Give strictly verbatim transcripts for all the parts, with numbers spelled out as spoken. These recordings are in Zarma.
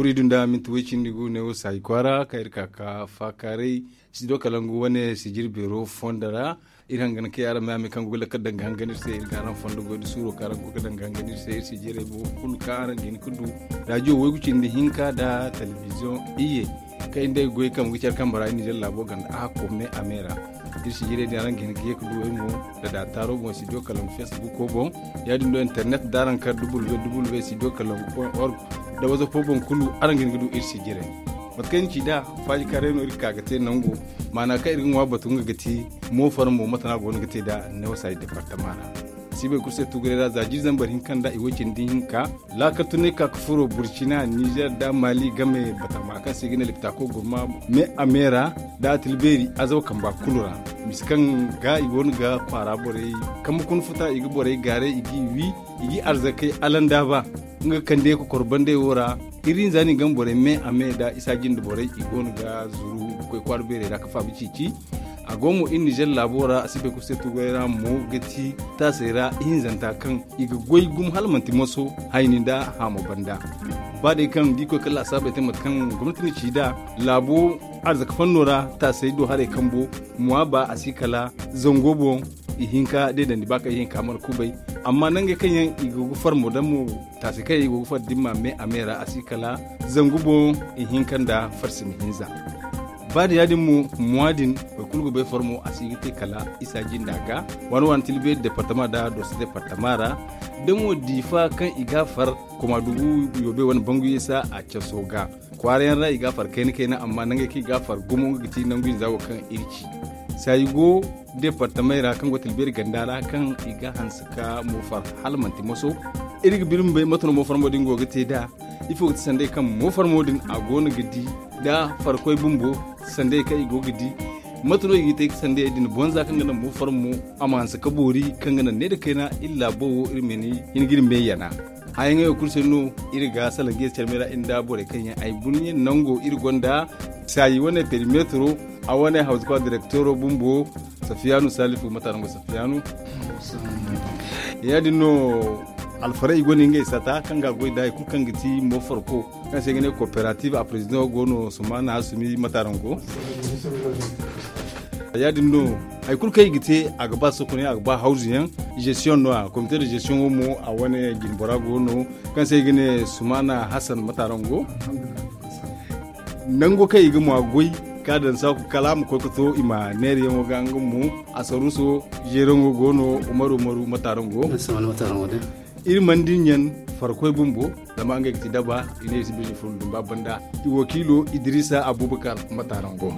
Iri du nda minti way cindi gu neewo saayi kwaara kaŋ iri ka ka faakaaray. Sido kalangu wane sijiri beero fondo ra. Iri hangan kay araŋ ma yaamay kaŋ go ga lakkal daŋ ga hangan iri se iri ga araŋ fondo goy da suuro kaŋ araŋ go ga daŋ ga hangan iri se iri sijirey bo kulu kaŋ araŋ ga hin ga du. Raajiyo waygu cindi hinka nda telebiziyoŋ iyye kaŋ iri day goy kambe ga care kambe ra iri ninzeer laabo ganda a hakko me a me ra. Iri sijirey din araŋ ga hin ga ye ga du ay mo da daataaro boŋ sidiyo kalangu feesibuko boŋ. Ya-din do internet da araŋ kar www sidiyo kalangu point org da wazapo boŋ kulu araŋ ga hin ga du iri sijirey. Mate kaŋ ni ci nd'a, faajikaaray no iri ga ka ga te nango. Maana kaŋ iri ga ŋwa batu nga ga ti, moofar mo mate no a go no ga te nd'a neewo saayi departama ra. Siibay kulu se tuguray ra za jiiri zambar hinka nda i way cindi hinka. Laakal tunay ka ga furo burcina nizeer nda maali game batama kaŋ se i ga ne liptaako gurma me a me ra, nda atilbeeri azaw kamba kulu ra. Misa kaŋ ga i go no ga kwaara borey kambe kuna futa i ga borey gaaray i g'i wi, i g'i arzakey alandaaba. Nga ga kande kokor bandey wo ra. Iri hinza no i game borey me a me nda isa jinde borey i go no ga zuru ga koy kwaara beerey ra ga faabi ciici. A go mo iri ninzeer laabo ra a si bay kulu se tuguray ra mo ga ti taasey ra ihinzanta kaŋ i ga goy gumo hala manti moso hayni nda haamo banda. Ba day kaŋ da i koy kala laasaabey te mate kaŋ gomnati na ci nd'a, laabo arzaka fanno ra taasey do haray kambo, muwaaba a si kala zango boŋ. Ihinka deedandi ba kaŋ ihinka mana kubay. Amma nangey kaŋ yaŋ i go ga far mo daŋ mo, taasey kaŋ yaŋ i go ga far dimma me a me ra a si kala zangu boŋ. Ihinka nda farsimi hinza. Ba da ya-din mo, muwa din boro kulu ga bay farmo a si ga te kala isa jinda ga. Waani waani tilbe departama da doso departama ra. Da mo diifa kaŋ i ga far koma dugu yoobe wane bangu yeesa a caso ga. Kwaara yaŋ ra i ga far kayna kayna amma nangey kaŋ i ga far gumo nga ga ti nangu hinza wo kaŋ iri ci. Saayi go departamey ra kaŋ go tilbeeri ganda ra kaŋ i ga hanse ka mo far hala manti moso. Iri ga biri ma bay mate no mo farmo din go ga te nd'a. Ifo ga ti sanday kaŋ mo farmo din a go no ga di nda farkoy bumbo sanday kaŋ i go ga di? Mate no i ga te ga sanday din bonza kaŋ ga naŋ mo farmo a ma hanse ka boori kaŋ ga naŋ ne nda kayna iri laabo wo iri ma ni hin ga iri me yana. Hayaŋey wo kulu se no iri ga salaŋ ga ye carmey ra iri nda borey kaŋ yaŋ ay guna yaŋ nango iri gonda saayi wane perimetro a wane hawzakwa direktoro bumbo. Safiyanu salifu mata nango safiyanu. Ya-din no alfaray i gonda ngey sata kaŋ ga goy da hari kulu kaŋ ga ti mo farko kaŋ se ga ne kooperative a president go no sumana sumi mata nango. Ya-din no hari kulu kaŋ i ga te a ga ba sokonay a ga ba hawzu yaŋ. Gestion no a comité de gestion wo mo a wane jinbora go no kaŋ se i ga ne sumana hasan mata nango. Nango kaŋ i ga ŋwa goy ka daŋ saaku kala a ma koy ga to i ma neerayaŋo ga nga mo. Asaruso jeeraŋo go no umaru umaru mata nango. Iri mana din yaŋ farkoy bumbo zama ngey ga ti daba i ne i si bisa furo dumba banda. I wakiilo idrisa abubakar mata nango.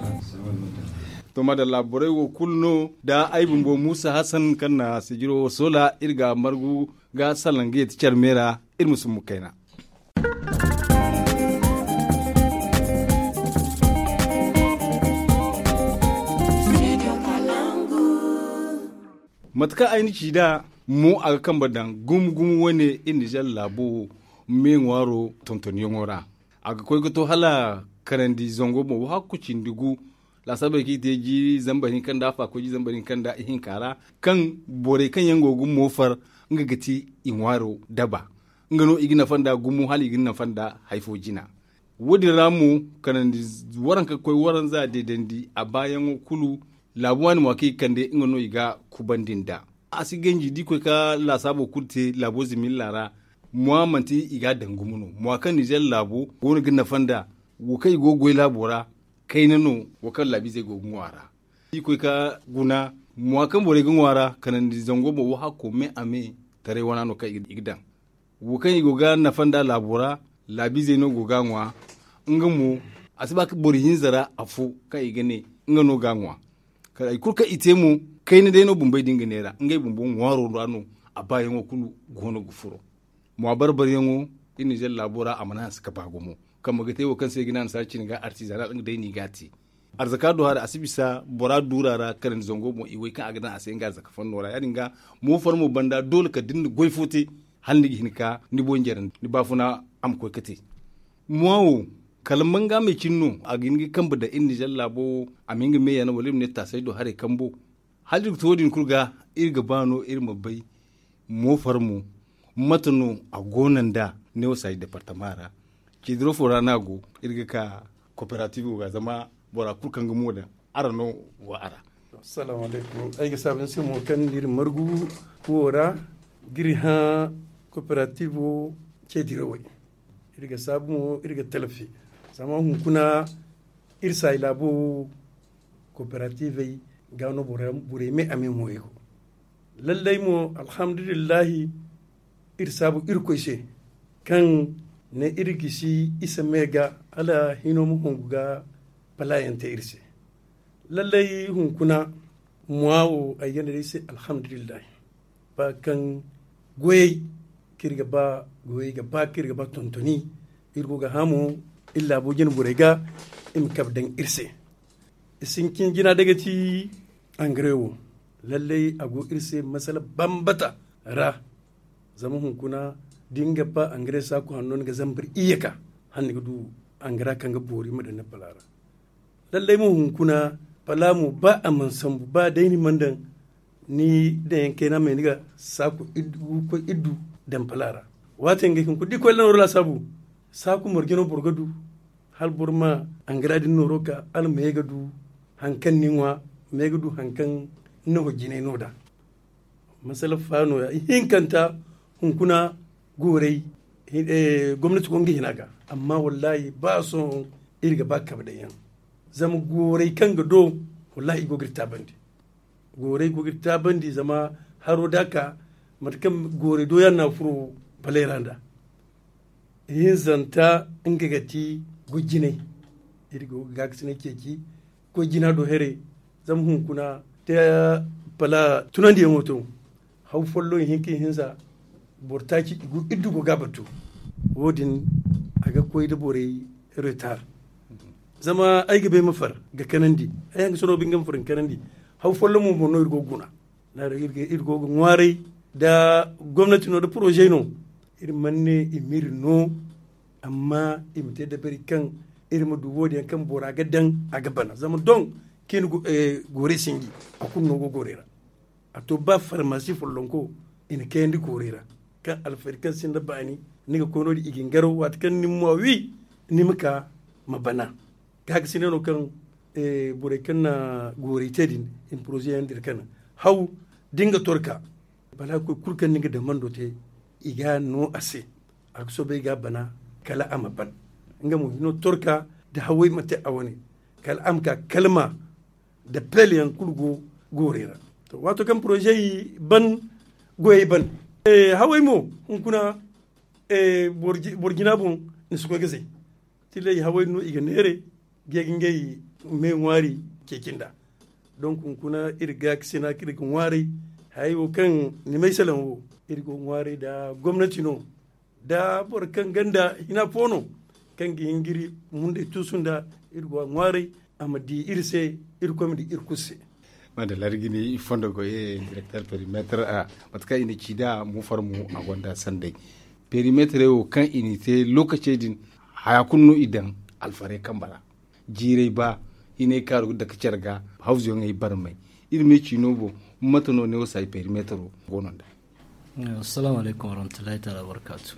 To madalla borey wo kulu no da ay bumbo muusa hasan kaŋ na sijiro wo soola iri ga margu ga salaŋ ga yeti care me ra. Iri ma sumbu kayna. Mate kaŋ ay na ci nd'a mo a ga kambe daŋ gumo gumo wane iri nizeer laabo me ŋwaaro tontonyaŋo ra. A ga koy ga to hala kanandi zango boŋ wo hakku cindi gu. Laasaabey kaŋ i te jiiri zambar hinka nda afa koy jiiri zambar hinka nda ihinka ra kaŋ borey kaŋ yaŋ go ga moofar nga ga ti i ŋwaaro daba. Nga no i ga nafa nda gumo hala i ga nafa nda hari fo jina. Wo- din ra mo kanandi waranka ga koy waranza deedandi a baayaŋo kulu. Laabu waani mo a kaŋ i ga kande nga no i ga kubandi nd'a. A si ganji da i koy ka laasaabo kulu te laabo zimilla ra. Mwa manti i ga a daŋ gumo no mwa kaŋ nizeer laabo go no ga nafa nda wo kaŋ i go ga goy laabo ra. Kayna no wo kaŋ laabiizey go ga ŋwa a ra. I koy ka guna mwa kaŋ borey ga ŋwa a ra kanandi zango boŋ wo hakko me a me taray wana no kaŋ i ga daŋ. Wo kaŋ i go ga nafa nda laabo ra laabiizey no go ga a ŋwa. Nga mo a si ba ka boro hinza ra afo kaŋ i ga ne nga no ga a ŋwa. Kala hari kulu kaŋ i te mo kayna day no bumbey din ga neera ngey bumbo ŋwaaro ra no. A baayaŋo kulu go no ga furo. Mwa barbaryaŋo iri nizeer laabo ra a mana hanse ka ba gumo kaŋ ma ga te wo kaŋ se i ga ne annasaara cine ga artizana nga day no i ga a te. Arzaka do haray a si bisa bora duura ra kanandi zango boŋ i way kaŋ a ga daŋ a se nga arzaka fanno ra ya- din ga. Moofar mo banda doole kala da ni na goy fo te hala ni ga hin ka ni boŋ jarandi ni baafuna a ma koy ga te. Mwa wo kala manga me cine no a ga hin ga kambe daŋ iri nizeer laabo wo. A ma hin ga me yana wala iri ma ne taasay do haray kambo. Hala iri ga to wo- din kulu ga iri ga ba no iri ma bay moofar mo mate no a go no nda neewo saayi departama ra. Cediro fo ra no a go. Iri ga ka kooperative wo ga zama bora kulu kaŋ ga mo daŋ, araŋ no go a ra. Assalamu alaykum. Ay ga saabu ni se mo kaŋ ni iri margu wo ra ga iri hã kooperative wo cedirawey. Iri ga saabu mo iri ga talafi zama hunkuna iri saayi laabo wo kooperativey ga no borey me a me mo iri go. Lallay mo alhamdulillahi iri saabu irkoy se kaŋ ne iri gisi isa me ga hala hino ma hungu ga palayaŋ te iri se. Lallay hunkuna muwa wo ay ganda day se alhamdulillahi. Ba kaŋ goyey kaŋ iri ga ba goyey ga ba kaŋ iri ga ba tontoni iri go ga hã mo iri laabo jine borey ga i ma kabe daŋ iri se. I sintin jina day ga ti angare wo. Lallay a go iri se masala bambata ra. Zama hunkuna da ni ga ba angare saaku hanno ni ga zambar iyye ka hala ni ga du angara kaŋ ga boori ma daŋ ni pala ra. Lallay mo hunkuna pala mo ba a mana sambu ba day ni mana daŋ ni daŋ yaŋ kayna me ni ga saaku iddu koy iddu daŋ pala ra. Waati yaŋ ga hin kulu da i koy la nooro laasaabu saaku marje no boro ga du hala boro ma angara din nooro ka hala me ga du hari kaŋ ni ŋwa me ga du hari kaŋ ni na hojjinay no da. Masala fa no- ya ihinkanta hunkuna gooray gomnati go nga hina ga. Amma wallahi ba sohõ iri ga ba kabe daŋ yaŋ zama gooray kaŋ ga do wallahi i go ga iri taabandi. Gooray go ga iri taabandi zama haro da a ka mate kaŋ gooray do yaŋ no a furo balay ra nd'a. Ihinzanta nga ga ti goy jinay. Iri go ga gaakasinay ceeci goy jina do here zama hunkuna te pala tunandiyaŋo to. Haw folloŋ ihinka ihinza boro taaci iddu go ga a batu. Wo- din a ga koy nda borey retar. Zama ay ga bay ma far ga kanandi ay hangasano binde ga ma far ga kanandi. Haw folloŋ mo boŋ no iri go ga guna. Iri go ga ŋwaaray nda gomnati no nda poroze no. Iri mana ne i m'iri no. Amma i ma te dabari kaŋ iri ma du wo- din yaŋ kaŋ bora ga daŋ a ga bana zama doŋ kaŋ i na gooray sinji. A kulu no go gooray ra. A to ba farmasi follonko i na kayandi gooray ra kaŋ alfari kaŋ sinda baani ni ga koy no- din i ga ni garaw waati kaŋ ni ma wi ni ma ka ma bana. Gaakasinay no kaŋ borey kaŋ na gooray te din i na poroze yaŋ dira kaŋ haw da nga torka. Balaakoy kulu kaŋ ni ga damando te i ga no a se. A ga soobay ga a bana kala a ma ban. Nga mo hino torka da haway ma te a wane kala a ma ka kalma da pel yaŋ kulu go gooray ra. Waato kaŋ poroze ban goyey ban haway mo hunkuna boro jina boŋ ni si koy ga zay. Tillay haway no i ga neere ga ye ga ngey me ŋwaari ceeci nd'a. Donk hunkuna iri ga gaakasina kaŋ iri ga ŋwaaray hayey wo kaŋ ni may salaŋ wo iri go ga ŋwaaray nda gomnati no nda boro kaŋ ganda hina fo no kaŋ ga hin ga iri mundey tuusu nda iri go a ŋwaaray a ma di iri se. Iri koy ma di iri kulu se. Madalla iri ga ni fondo goy direkter perimeter a mate kaŋ i na ci nd'a mo farmo a gonda sanday. Perimeterey wo kaŋ i n'i te lookacey din haya kulu no i daŋ alfarey kambe ra. Jiirey ba hinay kaaru ga dake care ga hawzuyaŋey barmay. Iri ma i ci no boŋ mate no ne wo saayi perimetero go no nd'a. Assalamu alaykum warahmatullahi taala wabarakatu.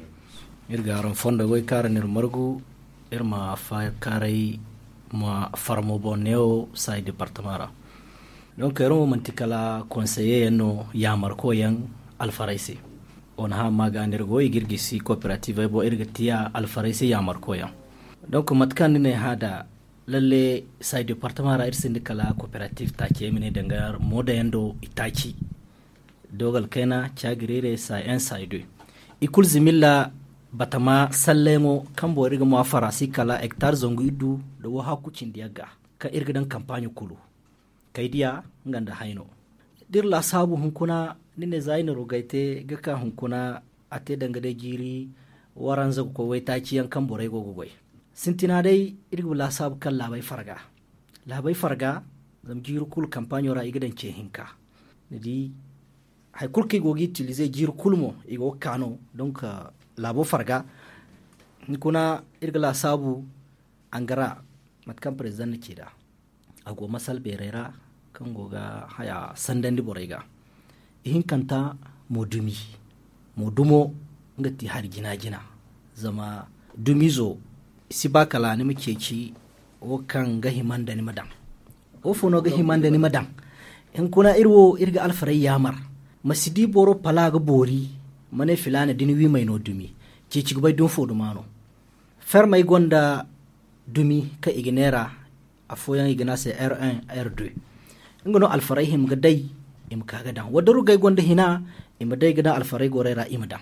Iri ga araŋ fondo goy kaŋ araŋ n'iri margu iri ma faakaaray ma farmo boŋ neewo saayi departama ra. Donk iri mo manti kala konseye yaŋ no yaamarko yaŋ alfaray se. Wo na hã amma ga no iri go i ga iri gisi kooperativey boŋ iri ga tiya alfaray se yaamarko yaŋ. Donk mate kaŋ ni ne hã da lalle saayi departama ra iri sinda kala kooperativ taaci ay ma ne danga mooda yaŋ do i taaci. Dogal kayna caagirire saayi en saayi de i kulu zimilla batama sallayŋo kaŋ boŋ iri ga mo a farasi kala hektar zangu iddu nda wo hakku cindi yagga kaŋ iri ga daŋ kampaaɲo kulu. Kay diya nga nda hayno da iri laasaabu hunkuna ni ne za ay na rogay te ga ka hunkuna a te danga day jiiri waranza ga koy waytaaci yaŋ kaŋ borey go ga goy. Sintina day iri ga laasaabu kaŋ laabey farga laabey farga zama jiiri kulu kampaaɲo ra i ga daŋ ce hinka. Ni di hari kulu kaŋ i go ga itilize jiiri kulu mo i go ga ka no donk laabo farga. Hunkuna iri ga laasaabu angara mate kaŋ perezidaŋ na ci nd'a a go masal beerey ra kaŋ go ga haya sandandi borey ga. Ihinkanta mo dumi mo dumo nga ti hari jina jina. Zama dumizo Si ba kala ni ma ceeci wo kaŋ ga hima nda ni ma daŋ. Wo fo no ga hima nda ni ma daŋ? Hunkuna iri wo iri ga alfaray yaamar, ma si di boro pala ga boori, ma ne filaana da ni wi may no dumi. Ceeci ga bay dumi fo duma no. Fermey gonda dumi kaŋ i ga neera, afooyaŋ i ga ne a se r un, r deux. Nga no alfaray hima ga day, i ma ka ga daŋ wadda rugay gonda hina, i ma day ga daŋ alfaray gorey ra i ma daŋ.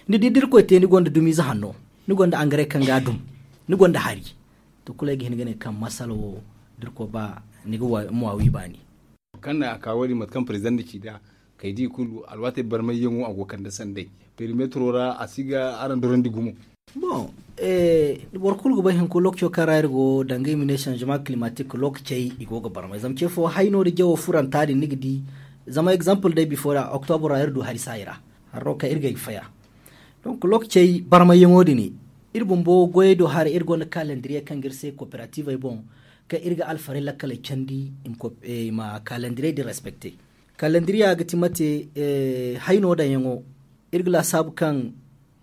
Ni di da irkoy te ni gonda dumiize hanno, ni gonda angare kaŋ ga a dum, ni gonda hari. To kulu ay ga hin ga ne kaŋ masala wo da irkoy ba, ni ga mwa wi baani. Kaŋ na a ka wo- din mate kaŋ president na ci nd'a, kay di kulu alwaatey barmayyaŋo a go ga kande sanday. Perimetro ra a si ga araŋ dorandi gumo. Bon, boro kulu ga bay hinko lookaco kaŋ ra iri go danga i ma ne changement climatique lookacey i go ga barmay zama ce fo hayno da jawo furanta din ni ga di. Zama exemple day bifo ra octobre ra iri du hari saayi ra, harro kaŋ iri ga ay ga faya. Donc lookacey barmayyaŋo din, iri bumbo goyey do haray iri gonda calendrier kaŋ ga iri se coopérativey boŋ, kaŋ iri ga alfaray lakkaley candi i ma kaalandiriya din respecte. Kaalandiriya ga ti mate? Hayno daŋyaŋo, iri ga laasaabu kaŋ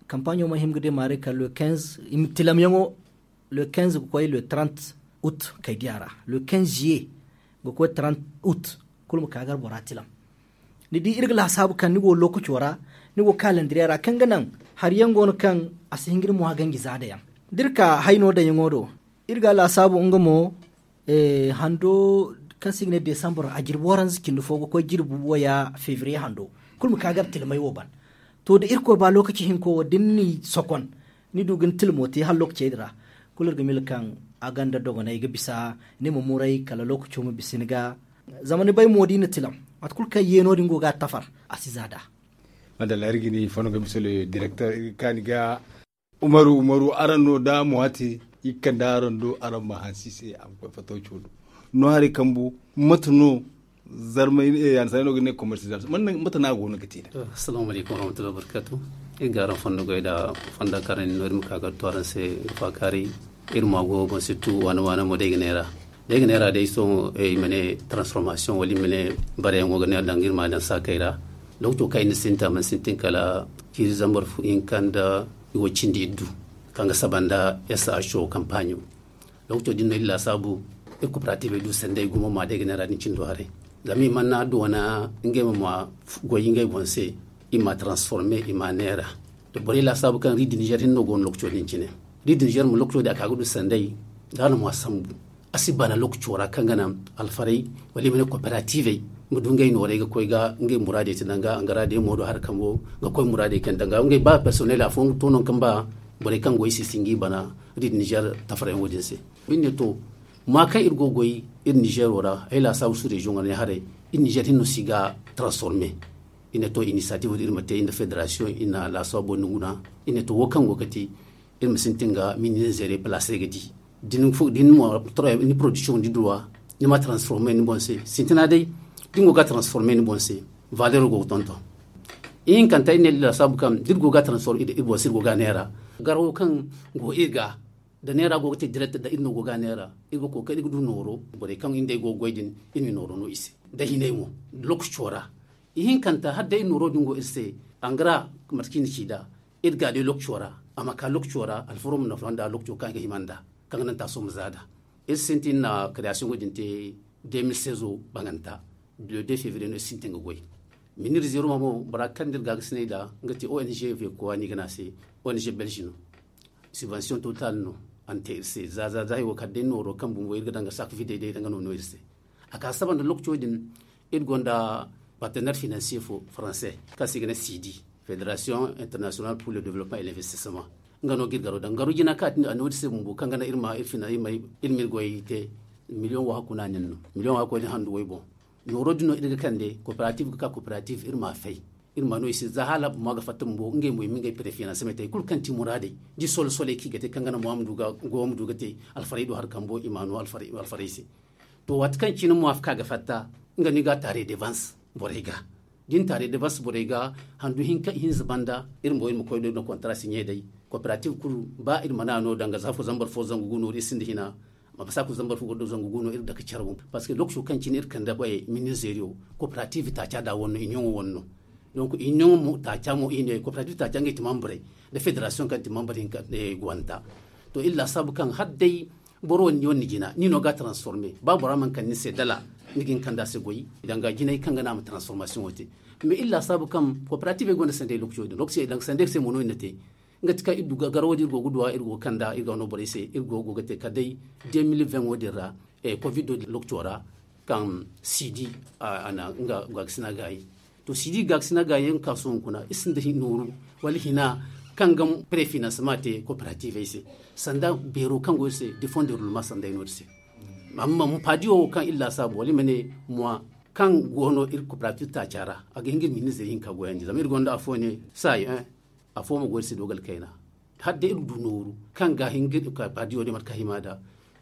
kampaɲo ma hima ga deemaaray kala le quinze i ma tilamyaŋo, le quinze ga koy le trente août kaydiya ra, le quinze juillet ga koy trente août. Kulu ma ka gar bora tilam. Ni di iri ga laasaabu kaŋ ni go lookaco ra, ni go kaalandiriya ra kaŋ ga naŋ hari yaŋ go no kaŋ a si hin ga ni mwa ganji zaada yaŋ. Da iri ka hayno daŋyaŋo do, iri ga a laasaabu nga mo, hando kaŋ se i ga ne desambur a jirbi waranza cindi fo ga koy jirbi waya fevriye hando. Kulu ma ka gar tilmay wo ban. To da irkoy ba lookaci hinko wo da ni n'i sokon, ni du ga ni tilmo te hala lookacey din ra, kulu iri ga mila kaŋ a gonda dogonay ga bisa ni ma muray kala lookaco ma bisa ni ga. Zama ni bay mo da i na tilam, mate kulu kaŋ yeeno din go ga a tafar, a si za nd'a. Madalla iri ga ni fondo ga bisa le direkter iri ga kaani ga. Umaru umaru araŋ no da mo hate, i ga kande araŋ do araŋ ma hansi se a ma koy fattaw coono. No haray kambu, mate no zarmay yaŋ sanay no ga ne commercialisation mate no a go no ga te da? Assalamu alaykum warahmatullahi wabarakatuh. Iri ga araŋ fondo goy da fonda kaŋ araŋ no iri ma ka ga to araŋ se. Faakaari, iri ma go boŋ sittu waana waana mo day ga neera. Day ga neera day sohõ i ma ne transformation wala i ma ne bareyaŋo ga ne danga iri ma daŋ saakey ra. Lookaco kaŋ i na sintin a mana sintin kala ciiri zambar hinka nda i wo cindi iddu, kaŋ ga saba nda saho kampaɲo. Lookaco din no iri laasaabu iri kooperativey du sanday gumo ma day ga neera din cindo haray. Zama i mana doona ngey ma ma goy ngey boŋ se, i ma transforme i ma neera. Da borey laasaabu kaŋ ri di nizer hinne no go no lookaco din cine. Ri di nizer mo lookaco din a ka ga du sanday, da a na mo a sambu. A si bana lookaco ra kaŋ ga naŋ alfaray wala i ma ne kooperativey ma du ngey nooray ga koy ga ngey muraadey te danga angara day mo do hari kambo ga koy muraadey kaŋ danga ngey ba personnel afooyaŋ ga to nangu kaŋ ba borey kaŋ goy si si ngi bana ri di nizer tafarayaŋo din se. Iri ne to, ma kaŋ iri go goy iri nizero ra ay laasaabu su reziyoŋ ra ne haray, iri nizer hinne no si ga transforme. Iri ne to inisiyatif din iri ma te iri nda federasiyoŋ iri na laasaabu boro nda guna. Iri ne to wo kaŋ go ga te iri ma sintin ga mini nizere palaasey ga di. Da ni production di duwa, ni ma transforme ni boŋ se sintina day. Da ni go ga transforme ni boŋ se, valero go ga tonton. Ihinkanta iri ne iri laasaabu kaŋ da iri go ga transforme iri boŋ se iri go ga neera. Garawo kaŋ go iri ga da neera go ga te direct da iri no go ga neera. Iri ga kookari iri ga du nooro borey kaŋ iri nd'ey go ga goy din, iri ma nooro no i se da hinay mo. Lookaco ra ihinkanta hala day iri nooro din go iri se. Angara mate kaŋ i na ci nd'a, iri ga day lookaco ra, a ma ka lookaco ra alfaro ma nafa nd'a lookaco kaŋ i ga hima nd'a, kaŋ ga naŋ taaso ma za nd'a. Iri sintin na création din te deux mille seize banganta. Le deux février no iri sintin ga goy. Minir zero ma mo bora kaŋ da iri ga ga sinay nd'a nga te ong vekowa no i ga ne a se. Ong belge no. Subvention total no a na te iri se za za za hay wo kala day nooro kaŋ bumbo iri ga daŋ ga saaka videy day daŋ ga no no iri se. A ka saba nda lookaco din iri gonda partenaire financier fo français kaŋ se i ga ne sidi, fédération internationale pour le développement et l'investissement. Nga no ga iri garo daŋ garo jina kaŋ a te a ne wo- din se bumbo kaŋ ga naŋ iri ma iri fina iri ma iri goy te. Million wo hakku no a nin no. Million wo hakku din handu way boŋ. Nooro din no iri ga kande coopérative ga ka coopérative iri ma a fay. Iri ma no i se za hala buma ga fatta bumbo ngey mo i ma ngey préfinancement te kulu kaŋ ti muraadey. Da i solo soley kaŋ i ga te kaŋ ga naŋ mo a ma du ga go a ma du ga te alfarey do hari kambo i ma a no alfarey se. To waati kaŋ cine mo a ka ga fatta, nga no i ga a taarey devance borey ga. Da i na taarey devance borey ga handu hinka ihinza banda iri mo iri ma koy do no contrat signé day. Coopérative kulu ba iri mana no danga za fo zambar fo zangu gu no iri sinda hina. Ma ba saku zambar fo godo zangu gu no iri dake care boŋ parce que lookaco kaŋ cine iri kande koy mini zeriyo, coopérative taaca da wanno union wanno. Donc union mo taaca mo i ne coopérative taaca ngey ti membrey da fédération kaŋ ti membre hinka gwanta. To iri laasaabu kaŋ hala day boro wo ni jina ni no ga a transforme ba bora mana kande ni se dala, ni ga hin ga kande a se goy danga jinay kaŋ ga naŋ a ma transformation wo te. Mais iri laasaabu kaŋ cooperative ay gonda sanday lokaco din lokaci ay danga sanday se mo no iri na te. Nga ti kaŋ iri du garawo din iri go ga duwa iri go ga kanda iri ga no borey se iri go ga te kala day deux mille vingt wo din ra. Covid wo din lokaco ra kaŋ sidi a na nga gaakasina gaayi. To sidi gaakasina gaayi yaŋ ga ka sohõ hunkuna iri sinda nooru wala hina kaŋ ga prefinancement te cooperative ay se sanda beero kaŋ go iri se de fond de roulement sanda ay no iri se. Amma paadiyo wo kaŋ iri laasaabu wala iri ma ne mois kaŋ go no iri cooperative taaca ra a ga hin ga iri ministre hinka goyandi zama iri gonda afo ne saayi afo ma goy iri se dogal kayna. Hala day iri du nooru kaŋ ga hin ga iri ka paadiyo din mate kaŋ hima nd'a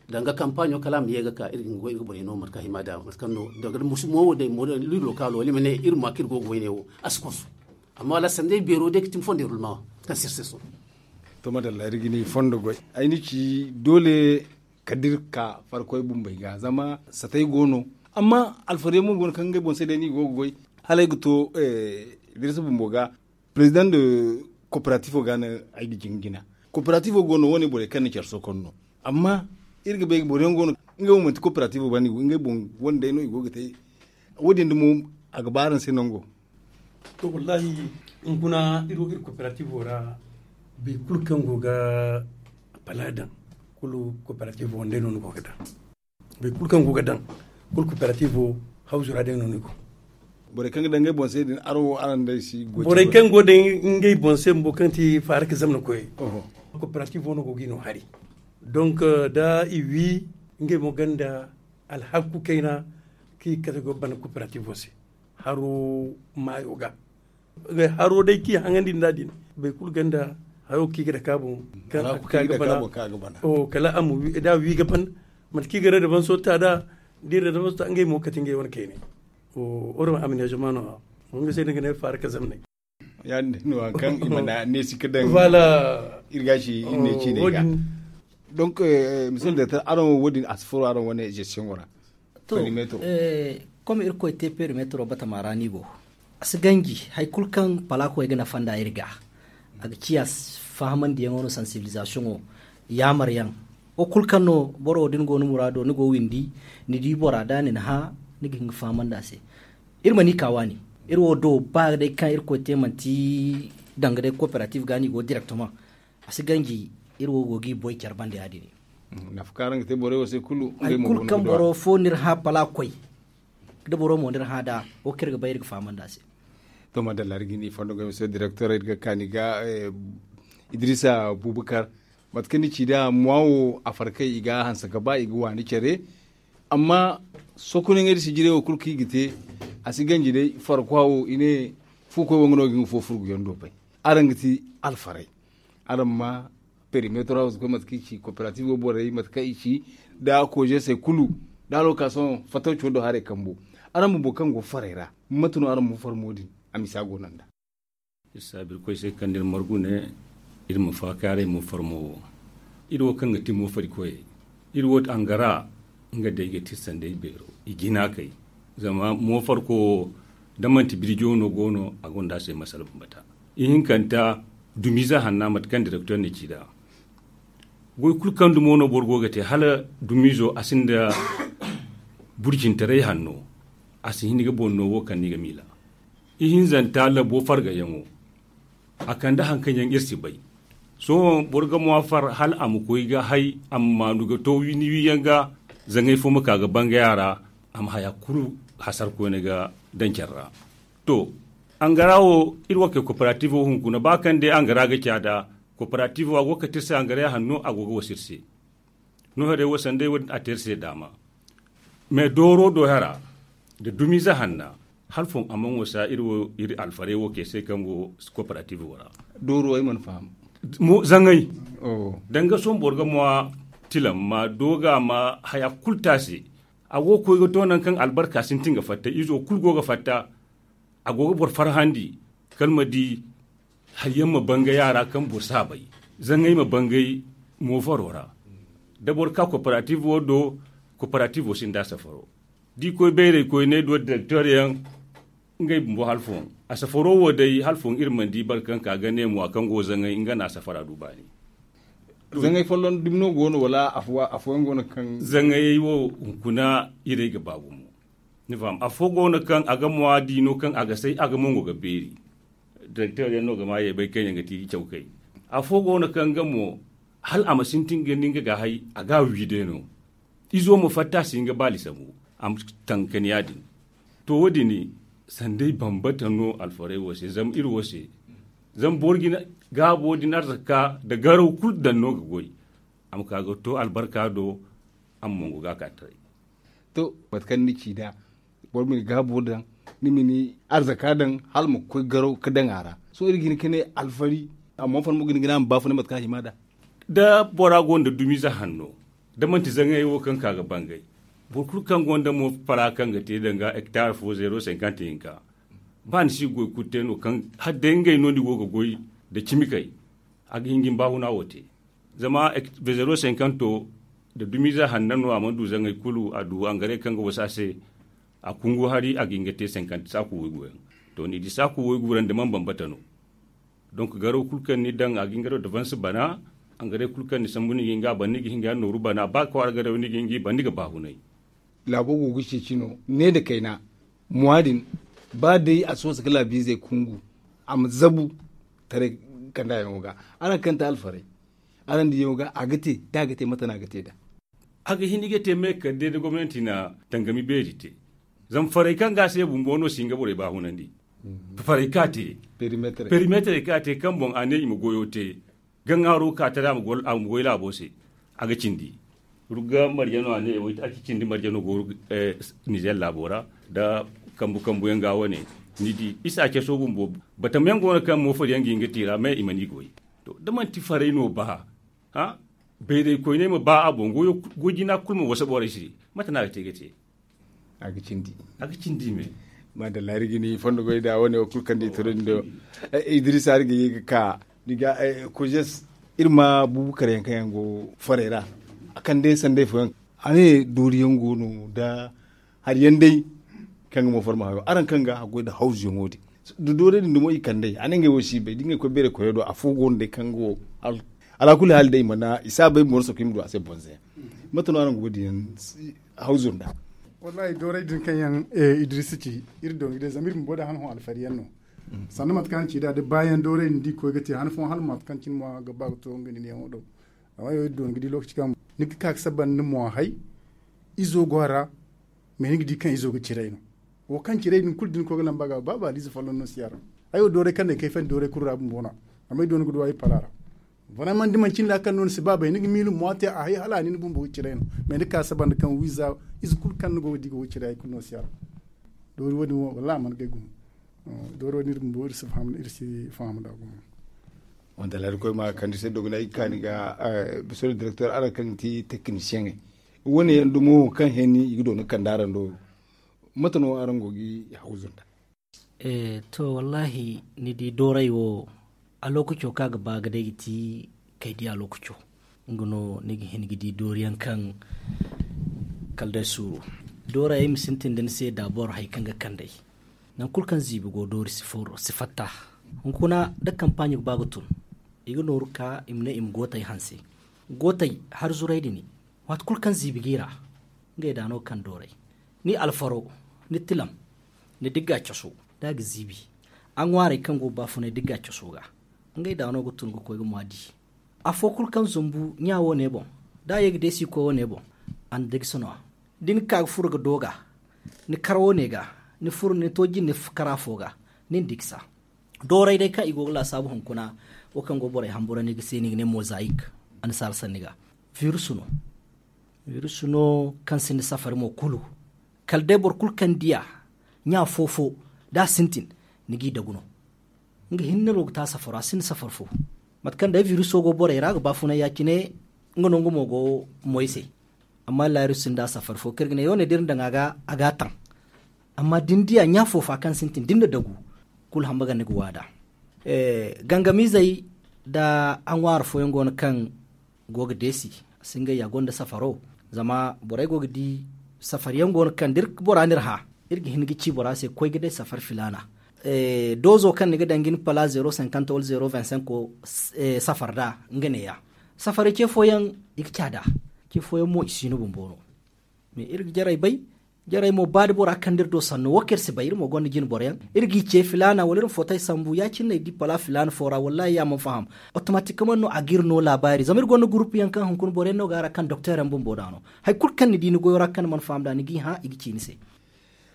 danga kampaɲo kala a ma ye ga ka iri ga goy iri ga borey no mate kaŋ hima nd'a mate kaŋ no danga mo wo day mo liiro kaalo wala iri ma ne iri ma ka iri go ga wayne wo a si konso. Amma wala sanday beero day ga ti ni fondo iri ma kaŋ sirse so. To madalla iri ga ni fondo goy ay ni ci doole kala da iri ga ka farkoy bumbey ga zama satay go no. Amma alfarey mo go no kaŋ ngey boŋ se day no i go ga goy hala ay ga to dirisa bumbo ga. Président de coopérative ga no ay ga jingina. Coopérative go no wo- ne borey kaŋ na care sokon no. Amma iri ga bay boro yaŋ go no ngey wo manti coopérative banda i go ngey boŋ wane day no i go ga te. Wo- din dumo a ga ba araŋ se nango. To wallahi, hunkuna iri wo iri coopérative ra boro kulu kaŋ go ga pala daŋ kulu coopérative wane day no ni go ga daŋ. Boro kulu kaŋ go ga daŋ kulu coopérative hawzu ra day no ni go. Borey kaŋ ga daŋ ngey boŋ se din araŋ wo araŋ day si goy borey kaŋ go daŋ ngey boŋ se bumbo kaŋ ti faara ka zamna koyey. Coopérative no go ga i no hari. Donc da i wi ngey mo gonda alhakku kayna kaŋ i ga kate go ga bana coopérative se haro maayo ga. Haro day kaŋ i haŋandi nd'a din boro kulu gonda hayo kaŋ i ga dake a boŋ kaŋ a ga ka ga bana. Kala a ma wi da a wi ga ban mate kaŋ i ga radabanso ta nd'a da i radabanso ta ngey mo kate ngey wane kayne. Oro aménagement no-ya. Nga se no i ga ne faara ka zamney. Ya- din no hari kaŋ i mana neesi ga daŋ iri ga ci iri ne ciiney ga. Donc monsieur le directeur araŋ wo- din a si furo araŋ wane gestion wo ra? To, comme irkoy te perimetro batama ra no i go. A si ganji hari kulu kaŋ palakoy ga nafa nd'a iri ga a ga ciya fahamandiyaŋo no sensibilisation wo yaamaryaŋ. Wo kulu kaŋ no boro wo da ni go ni muraado ni go windi ni di bora da ni na hã ni ga hin ga fahamandi a se. Iri mana i ka waani iri wo do ba day kaŋ irkoy te manti danga day coopérative ga no i go directement. A si ganji iri wo go ga i boy care banda ya- din. Nafa kaŋ araŋ ga te borey wo se kulu hari kulu kaŋ boro fo n'iri hã pala koy da boro mo n'iri hã nd'a wo kaŋ iri ga bay iri ga fahamandi a se. To madalla iri ga ni fondo ga mise directeur iri ga kaani ga idrisa bubakar. Mate kaŋ ni ci nd'a mois wo a farkay i ga hanse ga ba i ga waani care. Amma sokonaŋey da sijirey wo kulu kaŋ i ga te a si ganji day farkwa wo i ne fu koy wo nga no ga nga fo furguyaŋ do bay. Araŋ ga ti alfarey. Araŋ ma perimetro hawzu koy mate kaŋ i ci coopérative borey mate kaŋ i ci da koze se kulu da allocation fatawco do haray kambo. Araŋ bumbo kaŋ go farey ra mate no araŋ ma farmo din a misa go no nd'a? Iri saabu irkoy se kaŋ da iri margu ne iri ma faakaaray mo farmo wo. Iri wo kaŋ ga ti mo farikoyey iri wo angara nga day ga ti sanday beero i jina kay. Zama mo farko wo da manti birjo no go no a gonda a se masala bambata. Ihinkanta dumiize hanna mate kaŋ directeur na ci nd'a. Goy kulu kaŋ dumo no boro go ga te hala dumiizo a sinda burjintaray hanno. A si hin ga boŋ no wo kaŋ ni ga miila. Ihinzanta labo fargayaŋo a kande hari kaŋ yaŋ iri si bay. Sohõ boro ga mo a far hala a ma koy ga hay a ma maanu ga to ni wiyaŋ ga. Zaŋay fo ma ka ga bangay a ra a ma haya kulu hasar koyne ga daŋ care ra. To, angara wo iri wo kay koperativo hunkuna ba kaŋ day angara ga ca nd'a. Koperativo a go ga kate iri se angara ya hanno a go ga wasa iri se. No haray wo sanday wo- din a te iri se daama. Mais dooro do hara nda dumiize hanna hala foŋ a mana wasa iri wo iri alfarey wo kay se kaŋ go koperativo ra. Dooro ay mana faham. Zaŋay danga sohõ boro ga mo a tilam ma do ga ma haya kulu te a se. A go ga koy ga to nangu kaŋ albarka sintin ga fatta izo kulu go ga fatta. A go ga boro farhandi kala ma di hayyaŋ ma bangay a ra kaŋ boro si a bay. Zaŋay ma bangay moofaro ra da boro ka koperativo do. Koperativo sinda safaro da i koy bayray koyne do direktor yaŋ. Ngey bumbo hala foŋ a safaro wo day hala foŋ iri mana di boro kaŋ ka ga ne mo a kaŋ go zaŋay nga no a safara du baani. Zaŋay folloŋ dumi no go no wala afooyaŋ go no kaŋ zaŋayey wo hunkuna irey ga ba gumo. Ni faham afo go no kaŋ a ga muwaadi no kaŋ a ga say a ga mongo ga beeri. Direkter yaŋ no ga ma ye bay kaŋ yaŋ ga ti cawkay. Afo go no kaŋ ga mo hala a ma sintin ga ni nga ga hay a ga a wi day no. Izo ma fatta si nga baali sambu a ma tankani ya- din. To wo- din sanday bambata no alfaray wo se zama iri wo se. Zama boro jina gaabo din arzaka nda garaw kulu daŋ no ga goy. A ma ka ga to albarka do. A ma mongo ga ka taray. To mate kaŋ ni ci nd'a boro ma ni gaabo daŋ ni ma ni arzaka daŋ hala ma koy garaw ga daŋ a ra. Sohõ iri ga hin ga ne alfari. Amma fari mo ga hin ga ne a ma baafunay mate kaŋ a hima nd'a. Da bora gonda dumiize hanno da manti zaŋayey wo kaŋ ka ga bangay. Boro kulu kaŋ gonda mo fara kaŋ ga te danga hektar fo zeero sinkant hinka. Ba ni si ga goy kulu te no kaŋ hala day ngey no ni go ga goy nda cimi kay. A ga hin ga ni baahuna wo te. Zama zeero sinkanto nda dumiize hanno no a mana du zaŋay kulu a du angare kaŋ ga wasa a se. A kungu hari a ga hin ga te sinkant saaku waygu yaŋ. To ni di saaku waygu ra nda mana bambata no. Donk garaw kulu kaŋ ni daŋ a ga hin ga daw da vansi bana. Angare kulu kaŋ ni sambu ni ga hin ga a bana ni ga hin ga nooru bana ba kwaara garaw ni ga hin ga i bana ni ga baahunay. Laabo go ga ceeci no ne nda kayna. Muwaadin ba day a si wasa ga laabiizey kungu a ma zabu taray kandaayaŋo ga. Araŋ kaŋ ti alfarey araŋ diyaŋo ga a ga te da a ga te mate no a ga te nd'a? A ga hin i ga te me kala day da gomnanti na tangami beeri te. Zama farey kaŋ ga a se bumbo no si hin ga borey baahunandi. Farey kaŋ a te perimeterey kaŋ a te kaŋ boŋ a ne i ma goyo te. Gaŋaaro ka tara a ma goy laabo se. A ga cindi. Rugga marjano a ne a ci cindi marjano go nizer laabo ra. Nda kambu kambu yaŋ ga wane ni di isa caso bumbo. Batama yaŋ go no kaŋ moofari yaŋ ga hin ga te i ra mais i mana i goy. To da manti farey no ba bayray koyney ma ba a boŋ goy jina kulu ma wasa borey se. Mate no a ga te ga te? A ga cindi. A ga cindi me. Maadalla iri ga ni fondo goy nd'a wane wo kulu kaŋ da i toro ni do. Idrisa iri ga ye ga ka ni ga kojes. Iri ma buubu kare yaŋ kaŋ yaŋ go farey ra a kande sanday fooyaŋ. A ne doori yaŋ go no nda hari yaŋ day kaŋ ga mo farma hayo araŋ kaŋ ga a goy nda hawzu yaŋo din. Da doori din dumo i kande a ne ngey wo si bay da ngey koy beeray koyo do afo go no day kaŋ go. Alakuli haali day i mana i si a bay boro sokoy ma du a se bonze yaŋ. Mate no araŋ go ga di yaŋ hawzu nda? Wallahi dooray din kaŋ yaŋ idrisi ci iri doŋ ga day zama iri bumbo day han hõ alfari yaŋ no. Sanda mate kaŋ araŋ ci nd'a da baayaŋ dooray din da i koy ga te han fooyaŋ hala mate kaŋ cine mo a ga ba ga to nga nin yaŋo do. Amma yo iri doŋ ga di lookaci kaŋ ni ga ka ga saba ni mo hay. Izo go a ra. Mais ni ga di kaŋ izo ga ciray no. Wo kaŋ ciray din kulu da ni koy ga lamba ga ba baaliize folloŋ no si a ra. Ay wo dooray kaŋ no ay kayfandi dooray kulu ra bumbo no. Amma ay doŋ ga du ay pala ra. Vraiment da manci ni ra kaŋ no ni si ba bay ni ga miila mo a te a hay hala a nin bumbo ga ciray no. Mais ni ka saba nda kaŋ wiiza ize kulu kaŋ ni go ga di ga wo ciray hay kulu no si a ra. Doori wo- din wo wallahi a mana gay gumo. Doori wo- din iri bumbo iri si faham nd'a gumo. Wanda lari koy ma kandi se dogonay i ga kaani ga. Bisoro direktor araŋ kaŋ ga ti tekinisiyeŋey wo- ne yaŋ dumo kaŋ heni i ga dooni kanda araŋ do. Mate no araŋ go ga i hawzu nda? To wallahi ni di dooray wo a lookaco kaŋ a ga ba ga day ga ti kay di a lookaco. Nga no ni ga hin ga di doori yaŋ kaŋ kala day suuru. Dooray ay ma sintin da ni se daabor hari kaŋ ga kand'ey. Nangu kulu kaŋ ziibi go doori si fatta. Hunkuna da kampaaɲo ga ba ga tun i ga nooru ka i ma ne i ma gootey hanse. Gootey hari zuray din waati kulu kaŋ ziibi g'i ra. Ngey da no ga kande dooray ni alfaro, ni tilam, ni digga caso, da a ga ziibi. A ŋwaarey kaŋ go ga baafunay digga caso ga ngey da no ga tun ga koy ga maa di. Afo kulu kaŋ zumbu ɲa wo- ne boŋ da a ye ga deesi ga koy wo- ne boŋ. A na digsa no a da ni ga ka ga furo ga dooga ni kar wo- ne ga ni furo ni to jinde kar afo ga. Ni na digsa dooray day kaŋ i go ga laasaabu hunkuna. Wo kaŋ go borey hambura ni ga se ni ga ne mozayik. Annasaara sanni ga virusu no. Virusu no kaŋ sinda safari mo kulu. Kala day boro kulu kaŋ di a ɲa fo-fo da a sintin ni g'i dagu no. Nga hinne no ga te a safaro a sinda safari fo. Mate kaŋ day viruso go borey ra ga baafunay ya- cine. Nga no nga mo go moy se. Amma laayiru sinda a safari fo kaŋ iri ga ne yaw ne da iri na daŋ a ga a ga a taŋ. Amma da ni di a ɲa fo-fa kaŋ sintin da ni na dagu kulu hamba ga ni ga waada. Gangamiizey nda a ŋwaari fooyaŋ go no kaŋ go ga deesi. A si ngey ya gonda safaro zama borey go ga di safari yaŋ go no kaŋ da bora no iri hã iri ga hin ga ci bora se koy ga day safari filaana. Doozo kaŋ ni ga daŋ ga ni pala zeero sinkanta wala zeero vingt cinq safari nd'a nga neeya. Safaray ce fooyaŋ, i ga caada. Ce fooyaŋ mo i si no bumbo no. Mais iri ga jarey bay. Jarey mo ba da bora kaŋ da iri do sanno wo kaŋ iri si bay iri mo gonda jine boroyaŋ. Iri g'i ce filaana wala iri ma footay sambu ya- cine no i di pala filaana fo ra wallahi ya mana faham. Otomatikkaman no a ga iri no laabaari zama iri gonda gurupu yaŋ kaŋ hunkuna boroyaŋ no go a ra kaŋ doktor yaŋ bumbo da no. Hari kulu kaŋ ni di ni goyo ra kaŋ ni mana faham da ni g'i hã i ga ci ni se.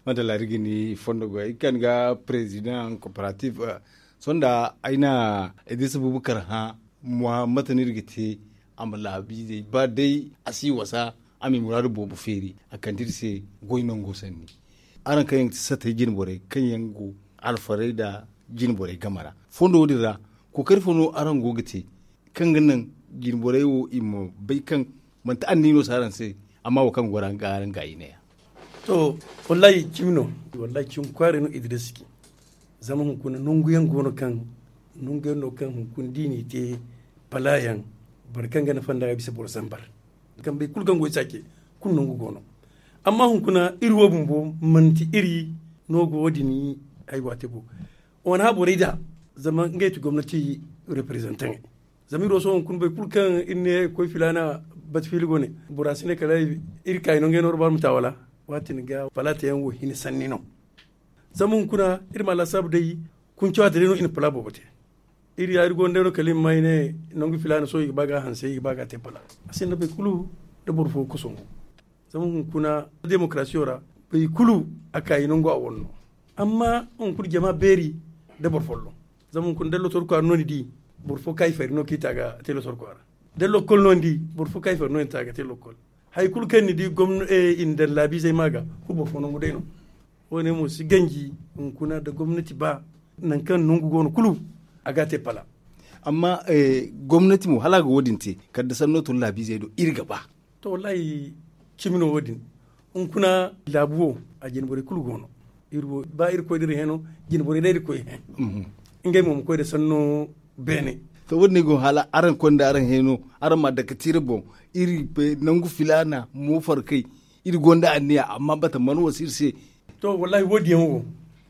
Madalla iri ga ni fondo goy iri kaŋ ga perezidaŋ kooperatif. Sohõ da ay na idris bubakar hã, mate no iri ga te a ma laabiizey ba day a si wasa, a ma i muraadu boobo feeri a kande iri se goy nango sanni. Araŋ kaŋ yaŋ ga ti satey jine borey kaŋ yaŋ go alfarey nda jine borey game ra, fondo wo- din ra kookari fo no araŋ go ga te kaŋ ga naŋ jine borey wo i ma bay kaŋ manti anniya no si araŋ se, amma wo kaŋ go ra nga araŋ ga i ne ya. To, wallahi cimi no. Wallahi cimi kwaari no idris ci. Zama hunkuna nangu yaŋ go no kaŋ nangu yaŋ no kaŋ hunkuna da i n'i te pala yaŋ, boro kaŋ ga nafa nd'a ga bisa boro zambar. Kambey kulu kaŋ go i saace kulu nangu go no. Amma hunkuna iri wo bumbo manti iri no go wo- din. Ay waate bo wane hã borey da zama ngey ti gomnati reperezantaŋey. Zama iri wo sohõ hunkuna boro kulu kaŋ iri ne koy filaana bati fiili go ne bora si ne kala iri kaayi no ngey no iri ba ma ta wala. Waati ni ga pala te yaŋ wo hina sanni no. Zama hunkuna iri ma laasaabu day kunca waati day no i na pala boobo te. Iri ya iri gonda day no kala i ma ma i ne nangu filaana sohõ i ga ba ga a hanse i ga ba ga a te pala. A sinda boro kulu nda boro fo ga kosongu. Zama hunkuna demokarasiyo ra boro kulu a kaayi nangu a wane no. Amma hunkuna jama beeri nda boro folloŋ. Zama hunkuna da lotor kwaara no ni di boro fo kaayi fari no kaŋ i te a ga te lotor kwaara. Da lokkol no ni di boro fo kaayi fari no ni te a ga te lokkol. Hari kulu kaŋ ni di gomna i na daŋ laabiizey ma ga kulu boro fo nangu day no. Wo- ne mo si ganji hunkuna nda gomnati ba nangu kaŋ nangu go no kulu a ga a te pala. Amma gomnati mo hala a ga wo- din te kala da sanno tun laabiizey do iri ga ba. To wallahi cimi no wo- din. Hunkuna laabu wo a jine borey kulu go no. Iri wo ba iri koy da iri hẽ no jine borey day iri koy hẽ. Ngey mo ma koy nda sanno beene. To wo- din ay go hala araŋ koy nda araŋ hẽ no araŋ ma a dake tiira boŋ. Iri nangu filaana mo farkay iri gonda anniya amma bata mana wasa iri se. To wallahi wo- din yaŋ wo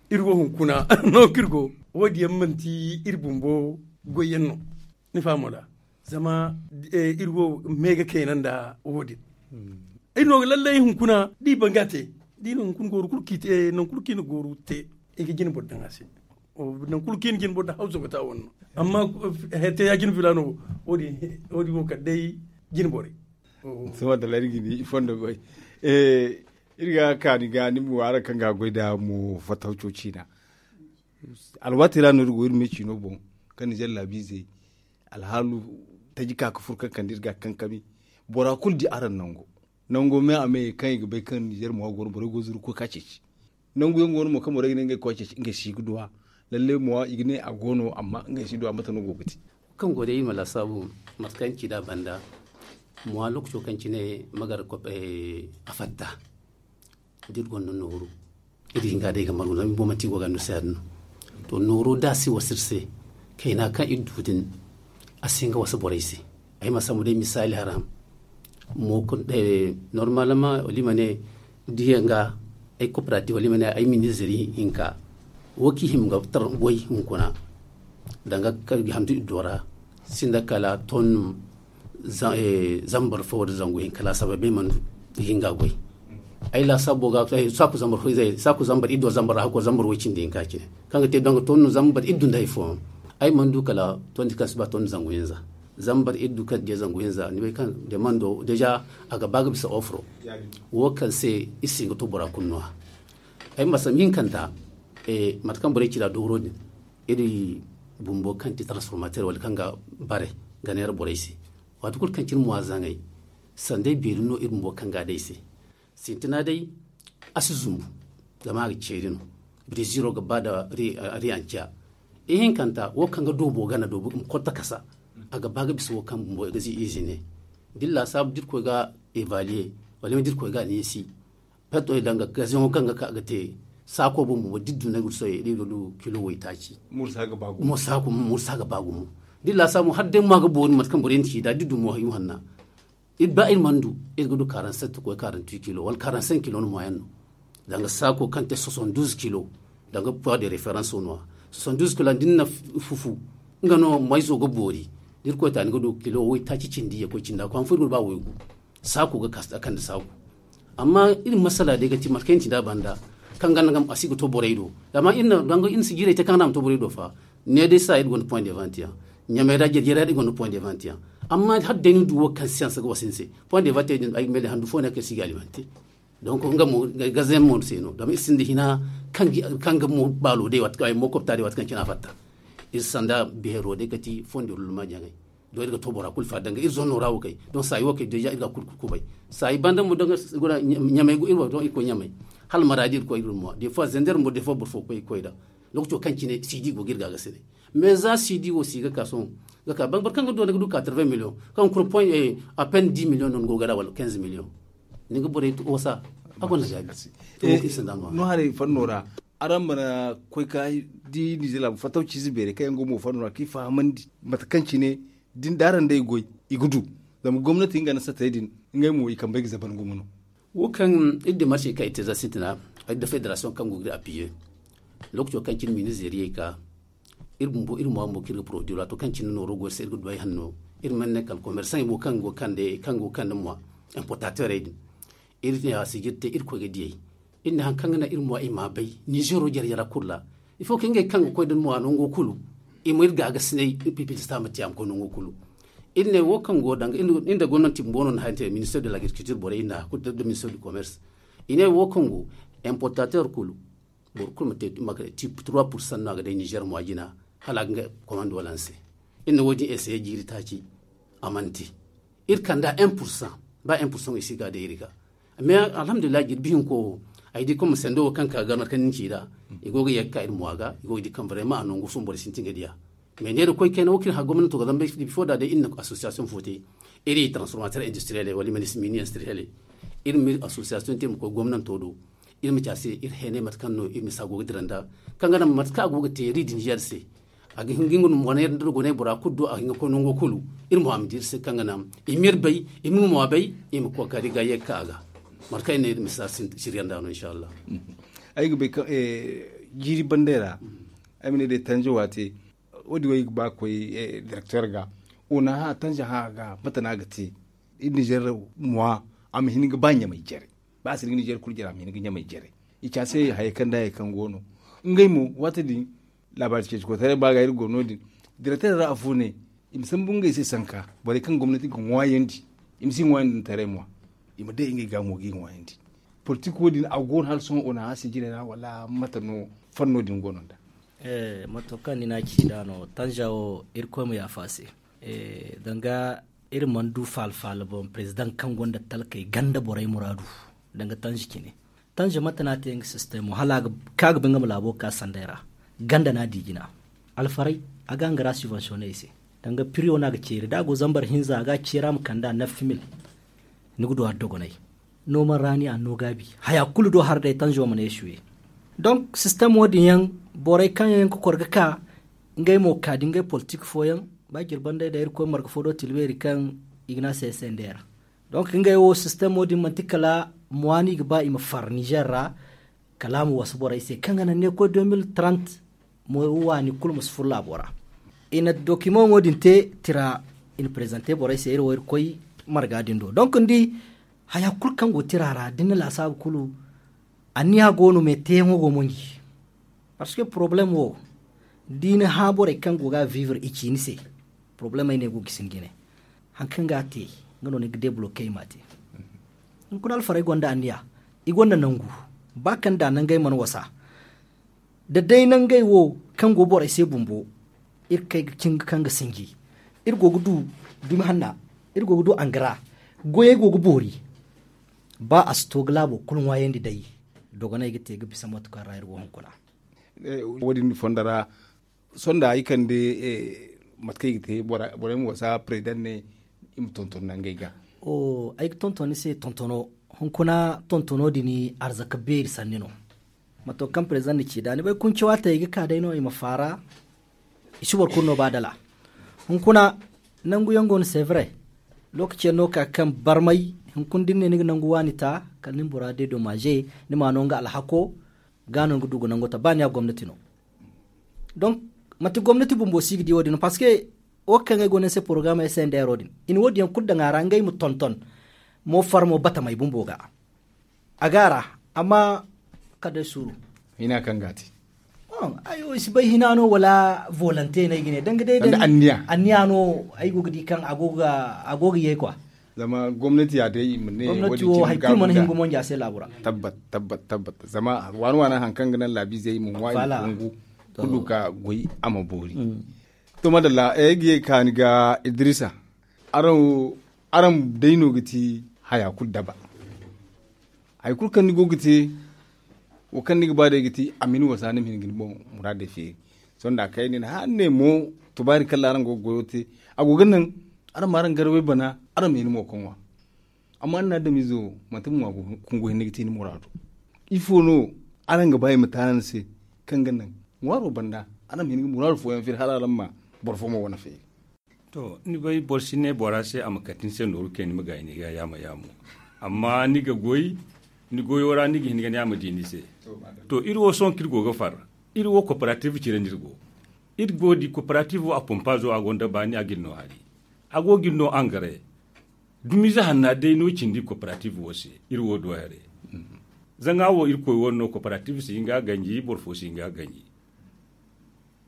iri wo hunkuna no kaŋ iri go wo- din yaŋ manti iri bumbo goy yaŋ no. Ni faham wala? Zama iri wo me ga kayna nda wo- din. Iri no ga lallay hunkuna da i ban ga a te da i na hunkuna gooru kulu kaŋ i te nangu kulu kaŋ i na gooru te i ga jine boro daŋ a se. Nangu kulu kaŋ i na jine boro daŋ hawzo ga te a wane no. Amma hete ya jine filaano wo- din wo kala day jine borey. Sohõ da lari ga ni i fondo goy. Iri ga kaani ga ni mo araŋ kaŋ ga a goy nda mo fattaw cooci na. Alwaati ra no iri go iri me ciino boŋ kaŋ ni zallaabiizey alhaalu taji ka ga furo kaŋ kande iri ga a kankami. Bora kulu di araŋ nango nango me a me kaŋ i ga bay kaŋ ninzeer mo a go no borey go zuru koy ka ceeci. Nangu yaŋ go no mo kaŋ borey ga ne ngey koy ceeci ngey si ga duw'a. Lalle mo i ga ne a go no amma ngey si duw'a mate no go ga te? Kaŋ go day iri ma laasaabu mate kaŋ ci nd'a banda. Mo a lookaco kaŋ cine magar a fatta. Da iri gonda nooru iri hinga day ga margu no iri bumbo manti iri go ga andusa ya- din no. To nooru da a si wasa iri se kayna kaŋ iri du din a si hin ga wasa borey se. Ay ma sambu day misaali haram mo kulu normalement wala i ma ne diya nga ay kooperative wala i ma ne ay ministre hinka wo kaŋ i hima ga tar goy hunkuna danga kaŋ i ga handu iddo ra sinda kala ton zambar fo wala zangu hinka laasabay bay mana du i ga hin ga goy. Ay laasabo ga saaku zambar fo izey saaku zambar iddo zambar ra hakko zambar way cindi hinka cine kaŋ ga te donga ton zambar iddu nda hay fo. Ay mana du kala tondi kaŋ si ba tondi zangu hinza zambar iddu kaŋ diya zangu hinza ni bay kaŋ demando deja a ga ba ga bisa ofro. Wo kaŋ se iri si hin ga to bora kulu no-ya. Ay ma sambu hinkanta mate kaŋ borey ci nd'a dooro din iri bumbo kaŋ ti transformateur wala kaŋ ga bare ga neera borey se. Waati kulu kaŋ cine mo a zaŋay sanday beeri no iri bumbo kaŋ ga a day se. Sintina day a si zumbu zama a ga ceeri no. Breziro ga ba nda ri anca ihinkanta wo kaŋ ga doobo gana doobo ma kotta kasa. A ga ba ga bisa wo kaŋ bumbo ga zi ize ne da iri laasaabu da iri koy ga evaluer wala ma da iri koy ga a neesi. Petto i danga gaziyaŋo kaŋ ga ka ga te saako bumbo da iri du nagursoy da iri ga du kilo waytaaci. Mursa ga ba gumo mursa ga ba gumo da iri laasaabu mo hala day mo a ga boori mate kaŋ borey na ci nd'a da iri du mo hayu hanna. Iri ba iri mana du iri ga du quarante sept koy quarante huit kilo wala quarante cinq kilo no moyen no. Danga saako kaŋ te soixante douze kilo danga poids de référence no-ya. Soixante douze kilo da ni na fufu nga no mayzo ga boori. Da iri koy ta ni ga du kilo waytaaci cindi ya koy cinda ko han fo iri ga du ba waygu. Saaku ga kande saaku. Amma iri masala day ga ti mate kaŋ iri na ci nd'a banda, kaŋ ganda a si ga to borey do. Zama iri na danga iri na si jiirey te kaŋ ganda a ma to borey do fa. Ne day sa iri gonda point de vente yaŋ. Ɲamay ra jarjara iri gonda point de vente yaŋ. Amma hala day ni du wo kaŋ siyansa ga wasa ni se, point de vente din ay ga mele handu fo no kaŋ si ga alimante. Donc nga mo gazayaŋ mo se no zama iri sinda hina kaŋ ga mo baalo day waati kaŋ ay mo kobta day waati kaŋ cine a fatta. Iri sanda beero day kati fondo luluma jaŋay. Don iri ga to bora kulu fa danga iri zonno ra wo kay. Don saayi wo kay deja iri ga kulu kubay. Saayi banda mo danga iri go ɲamay go iri wo don iri koy ɲamay. Hala maradi iri koy iri mo des fois zender mo des fois boro fo koy koy da. Lokaco kaŋ cine sidi go ga iri ga ga sine. Mais za sidi wo si ga ka sohõ ga ka boro kaŋ ga do ni ga du quatre-vingts millions kaŋ kulu point à peine dix millions no ni go ga da wala quinze millions. Ni ga borey wasa a gonda gaabi. No haray fanno ra araŋ mana koy ka di nizeer laabu fattaw ciize beerey kaŋ yaŋ go mo fanno ra kaŋ i fahamandi mate kaŋ cine da araŋ day goy i ga du. Zama gomnati nga na satay din ngey mo i kambey ga zaban gumo no. Wo kaŋ iri demarse kaŋ iri te za sintina iri da federasiyoŋ kaŋ go ga iri appiye. Lokaco kaŋ cine mini zeeriyey ka iri bumbo iri mo bumbo kaŋ iri ga porodui ra to kaŋ cine nooro go iri se iri ga du ay hanno. Iri mana ne kala komersaŋey mo kaŋ go ga kande mwa importateurey din. Iri ne a sijiri te iri koy ga diyey. Iri ne hari kaŋ ga naŋ iri mwa i ma bay nizeero jare jara kulu ra. Il faut que ngey kaŋ ga koy da ni mwa nango kulu i ma iri ga ga sinay iri pipilista ma te a ma koy nango kulu. Iri ne wo kaŋ go danga iri nda gomnanti bumbo no na hari te minister de l'agriculture borey iri na kulu da minister du commerce. I ne wo kaŋ go importateur kulu boro kulu ma te trois pourcent no a ga day nizeer mwa jina. Hala a ga nga komando wala ni se. Iri na wo- din essayer jiiri taaci a mana te. Iri kand'a un pourcent. Ba un pourcent i si ga day iri ga. Mais alhamdulillahi jirbi hinko wo ay di comme sendo wo kaŋ ka ga mate kaŋ ni ci nd'a. I go ga ye ga ka iri mwa ga i go ga di kaŋ vraiment a nangu sohõ borey sintin ga diya. Mais ne da koy kayna wo kaŋ iri hã gomnanto ga zama bifo da day iri na association fo te. Iri transformateur industriel wala i ma ne mini industriel. Iri ma association te ma koy gomnanto do. Iri ma ci a se iri heenay mate kaŋ no iri ma si a go ga dira nda kaŋ ga naŋ mate kaŋ a go ga te iri din yer se. A ga hin ga nga no mo neera nda dogonay bora kulu do a ga hin ga koy nango kulu. Iri mo a ma di iri se kaŋ ga naŋ i ma iri bay i ma nga mo a bay. I ma kookari ga ye ga ka a ga mate kaŋ ay ne iri ma si a siriya nda no inshallah. Ay ga bay kaŋ jiiri bandey ra ay ma ne day tanja waate. Wo- din wo ay ga ba ga koy directeur ga. Wo na hã tanja hã ga mate no a ga te iri nizeer mwa a ma hin ga ba ɲamay jare. Ba a si hin ga nizeer kulu jare a ma hin ga ɲamay jare. I ci a se hayey kaŋ da hayey kaŋ go no ngey mo waati din laabaari ceeci koytaray ba ga iri go no- din. Directeur ra afo ne i ma sambu ngey se sanka borey kaŋ gomnati ga ŋwaayandi i ma si ŋwaayandi nda taray mwa. I ma day ngey ga mo ga i ŋwaayandi. Politik wo- din a go no hala sohõ o na hã sijirey ra wala mate no fanno din go no nda. Mato kaŋ ni n'a ci nd'a no tanja wo irkoy ma yaafa a se. Danga iri mana du faala faala boŋ perezidaŋ kaŋ gonda talkey ganda borey muraadu. Danga tanji cine tanji mate no a te nga sistemo hala a ga ka ga ba nga ma laabo ka sanday ra. Ganda no a di jina alfaray a ga nga ra subvensione i se. Danga piriyo no a ga ceeri da a go zambar hinza a ga a ceeri a ma kande a naffi mil. Ni ga du a dogonay noman raani a no gaabi haya kulu do har day tanjo ma ne suye. Donk sistem wo- din yaŋ borey kaŋ yaŋ ga kor ga ka ngey mo ka da ngey politik fooyaŋ ba jirbandey da irkoy marga fo do tilbeeri kaŋ i ga ne a se sender. Donk ngey wo sistem wo- din manti kala mwaani i ga ba i ma far nizer ra kala a ma wasa borey se kaŋ ga naŋ ne koy deux mille trente mo waani kulu ma si furo laabo ra. I na dokimaŋo din te tira i na prezante borey se iri wo iri koy marga din do donk ni di haya kulu kaŋ go tira ra da ni na laasaabu kulu anniya go no me teeyaŋo go monji. Parce que poroblem wo da i na hã borey kaŋ go ga vivre i ci ni se poroblem ay ne go ga gisi ni jine. Hari kaŋ ga a te nga no ni ga debloke i ma a te. Hunkuna alfarey gonda anniya i gonda nangu ba kaŋ da nangey mana wasa. Da day nangey wo kaŋ go borey se bumbo iri kay ga cin ga kaŋ ga sinji. Iri go ga du dumi hanna iri go ga du angara goyey go ga boori. Ba a si to ga laabo kulu ŋwaayandi day dogoney ga te ga bisa mate kaŋ ra iri go hunkuna. Wo- din fonda ra sonda ay kande mate kaŋ i ga te borey ma wasa president ne i ma tonton nangey ga. Ay ga tonton ni se tontono hunkuna tontono din arzaka beeri sanni no. Mato kaŋ president na ci da ni bay kunci waate i ga ka day no i ma faara. I si boro kulu no ba dala hunkuna nangu yaŋ go no sevre. Lokaci yaŋ no ka kaŋ barmay hunkuna da ni ne ni ga nangu waani ta kala ni bora de domaze ni ma no nga alhako ga no ni ga du ga nango ta ba ni ya gomnati no. Donc manti gomnati bumbo si ga di wo- din no parce que Wo kaŋ ay go no ni se porogaraama s n d r wo- din i na wo- din yaŋ kulu daŋ a ra ngey ma tonton mo farmo batamey bumbo ga. A ga a ra amma kala day suuru. Hina kaŋ ga a te. Ay wo i si bay hina no wala volonte no ay ga ne danga day day anniya no ay go ga di kaŋ a go ga ye kwa. Zama gomnati ya day i ma ne gomnati wo hari kulu mana hin ga monja se laabu ra. Tabbat tabbat tabbat zama waani waani hari kaŋ ga naŋ laabiizey i ma ŋwa i ma kungu kulu ga goy a ma boori. To madalla ay ga ye ga ka ni ga idrisa. Araŋ wo araŋ day no ga ti haya kulu daba. Hari kulu kaŋ ni go ga te wo kaŋ ni ga ba day ga ti a ma ni wasa ni ma hin ga ni boŋ muraadey feeri. Sohõ da a kay nin hala ni ne mo tubaari kaŋ ra araŋ go ga goyo te a go ga naŋ araŋ ma araŋ garawey bana araŋ ma hin mo ga ŋwa. Amma ni na adamiize wo manti ma ŋwa kungu hinne ga ti ni muraadu. Ifo no araŋ ga ba i ma taana ni se kaŋ ga naŋ ŋwaaro banda araŋ ma hin ga muraadu fooyaŋ feeri hala araŋ ma boro fo mo wane feeri. To ni bay boro si ne bora se a ma kate ni se nooru kayna ni ma gaayi ni ga yaamo yaamo. Amma ni ga goy ni goyo ra ni ga hin ga ne a ma di ni se. To iri wo sohõ kaŋ iri go ga far iri wo kooperative cire no iri go. Iri go ga di kooperative wo a pompaazo a gonda baani a ga iri no hari. A go ga iri no angare. Dumiize hanna day no cindi kooperative wo se. Iri wo do haray. Zanga wo irkoy wane no kooperative si hin ga a ganji boro fo si hin ga a ganji.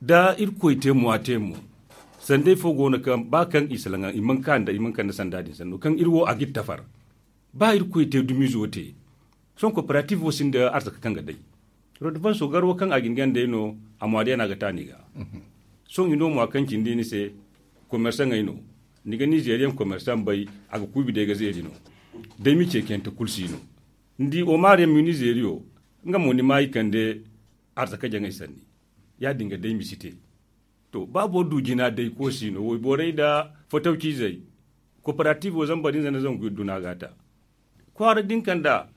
Da irkoy te mo a te mo. Sandey fo go no kaŋ ba kaŋ i salaŋ i mana ka nda sanda din sanno kaŋ iri wo a ga iri tafar. Ba irkoy te dumiizo te. Sohõ kooperative wo sinda arzaka kaŋ ga day. Rodobanso garwa kaŋ a ga ni gandey no a mo a day no a ga ta ni ga. Sohõ i no mo a kaŋ cindi ni se. Komersaŋey no ni ga nizeeriyaŋ komersaŋ bay. A ga kuubi day ga zeeri no. Day mi ceekiyante kulu si no. Ni di omar yaŋ mi nizeeriyo. Nga mo ni ma i kande arzaka jaŋey sanni. Ya- din ga day mi si te. To ba boro du jina day ko si no wayborey nda fatawciizey. Kooperative wo zambar hinza nda zangu iddu no a ga a ta. Kwaara din kaŋ da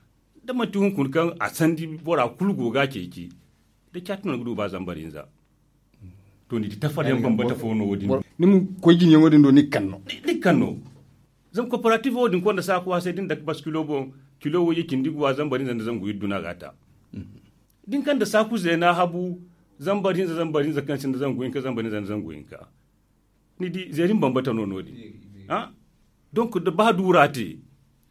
da manti hunkuna kaŋ a sandi bora kulu go ga a ceeci. Da caati no ni ga du ba zambar hinza. To ni di tafar yaŋ bambata fo no wo- din. Ni ma koy jina yaŋo din do ni ga kaŋ no. Zama kooperative wo din konda saaku a se da ni dake basi kilo boŋ. Kilo wayye cindi ga wa zambar hinza nda zangu iddu no a ga a ta. Da ni kaŋ da saaku zeena habu zambar hinza zambar hinza kaŋ sinda zangu hinka zambar hinza nda zangu hinka. Ni di zeeri ma bambata no no- din. Donk da ba duura te